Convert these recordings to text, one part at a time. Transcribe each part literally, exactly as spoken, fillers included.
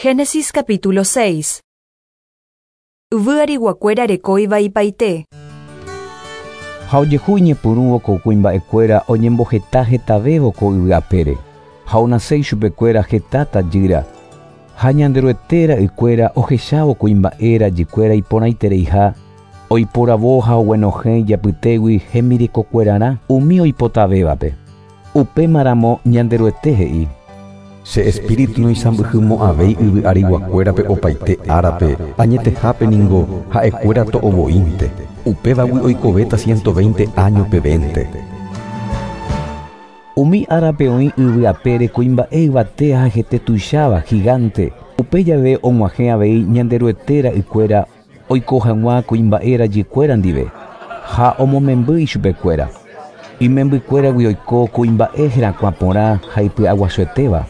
Génesis capítulo seis. Yvy ariguakuéra reko ivaipaite. Ha ojehu iñepyrũvo ko kuimba'ekuéra oñemboheta hetavévo ko yvy apére. Ha onase ichupekuéra heta tajýra. Ha Ñanderuete ra'ykuéra ohechávo kuimba'e rajykuéra iporãitereiha, oiporavo ha oguenohẽ ijapytégui hembirekokuerarã umi oipotavévape. Upémaramo Ñanderuete he'i: Che espíritu noisãmbyhymo'ãvéi yvy ariguakuérape opaite árape, añetehápe ningo ha'ekuéra to'ovoínte. Upévagui oikovéta ciento veinte año pevénte. Umi árape oĩ yvy apére kuimba'e yvate ha hete tuicháva gigante. Upe jave og̃uahẽ avei Ñanderuete ra'ykuéra oiko hag̃ua kuimba'e rajykuéra ndive ha omomemby ichupekuéra. Imembykuéragui oiko kuimba'e herakuã porã ha ipy'aguasuetéva.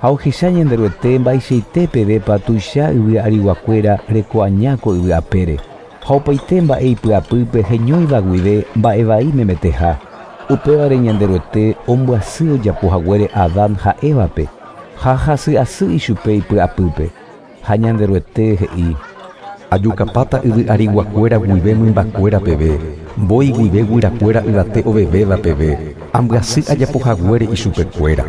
Ha ohecha Ñanderuete mba'eichaite pevépa tuicha yvy ariguakuéra reko aña ko yvy apére. Ha opaite mba'e ipy'apýpe heñóiva guive mba'evai memeteha. Upévare Ñanderuete ombyasy ojapo haguére Adán ha Évape ha hasy'asy ichupe ipy'apýpe. Ha Ñanderuete he'i: Ajukapáta yvy ariguakuéra guive mymbakuéra peve, mbói guive guyrakuéra yvate ovevéva peve, ambyasy ajapo haguére ichupekuéra.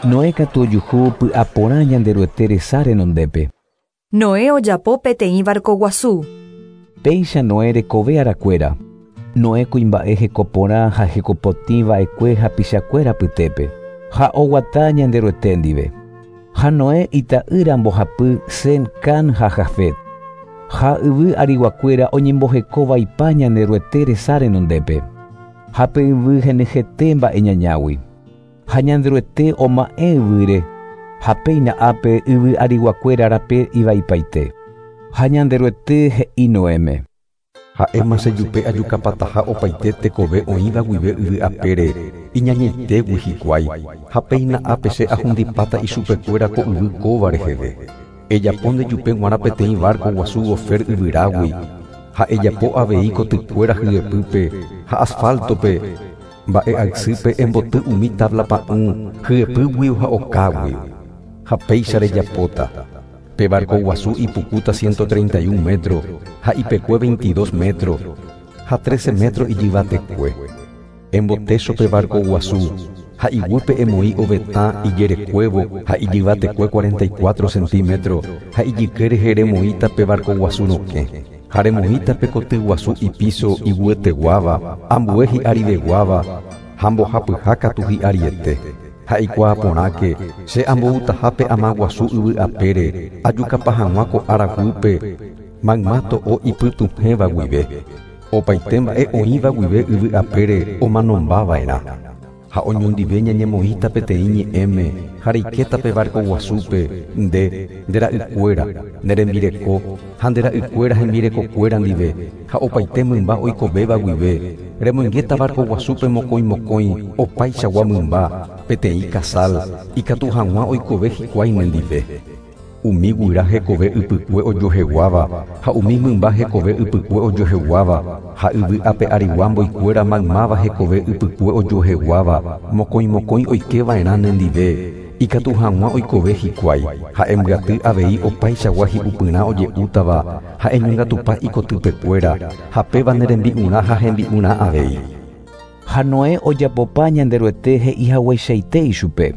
Noé katu ojuhu py'aporã Ñanderuete resa renondépe. Noé ojapo peteĩ barco guasu. Péicha Noé rekove arakuéra. Noé kuimba'e hekoporã ha hekopotĩ va'ekue hapichakuéra pytépe. Ha oguata Ñanderuete ndive. Ha Noé ita'ýra mbohapy Sem, Cam ha Jafet. Ha yvy ariguakuéra oñembohekovaipa Ñanderuete resa renondépe. Ha pe yvy henyhẽte mba'e ñañágui. Ha Ñanderuete oma'ẽ yvýre, ha péina ápe yvy ariguakuéra rape ivaipaite. Ha Ñanderuete he'i Noéme: Ha'éma chejupe ajukapataha opaite tekove oĩva guive yvy apére, iñañaitégui hikuái, ha péina ápe che ahundipáta ichupekuéra ko yvy kóva reheve. Ejapo ndejupe g̃uarã peteĩ barco guasu gofer yvyrágui, ha ejapo avei kotykuéra hyepýpe ha asfaltope, mba'e aysýpe emboty umi tabla pa'ũ hyepýgui ha okágui. Ha péicha rejapóta. Pe barco guasu ipukúta ciento treinta y un metro, ha ipekue veintidós metro, ha trece metro ijyvatekue. Embotécho pe barco guasu, ha iguýpe emoĩ ovetã ijerekuévo ha ijyvatekue cuarenta y cuatro centímetro, ha ijyke rehe remoĩta pe barco guasu rokẽ. Ha remoĩta pe koty guasu ipiso iguyeteguáva, ambue hi'ariveguáva, ha mbohapyha katu hi'ariete. Ha ikuaaporãke che amboutahápe ama guasu yvy apére, ajukapa hag̃ua ko ára guýpe, mayma to'o ipytuhẽva guive. Opaite mba'e oĩva guive yvy apére omanombava'erã. Ha oñondive ñañemoĩta peteĩ ñe'ẽme ha reikéta pe barco guasúpe, nde, nde ra'ykuéra, nde rembireko, ha nde ra'ykuéra hembirekokuéra ndive, ha opaite mymba oikovéva guive, remoingéta barco guasúpe mokõi mokõi opaichagua mymba, peteĩ casal, ikatu hag̃ua oikove hikuái nendive. Umi guyra hekove ypykue ojoheguáva, ha umi mymba hekove ypykue ojoheguáva, ha yvy ape arigua mboikuéra maymáva hekove ypykue ojoheguáva, mokõi mokõi oikeva'erã nendive, ikatu hag̃ua oikove hikuái, ha embyaty avei opaichagua hi'upyrã oje'útava, ha eñongatupa ikotypekuéra, ha péva ne rembi'urã ha hembi'urã avei. Ha Noé ojapopa Ñanderuete he'i hagueichaite ichupe.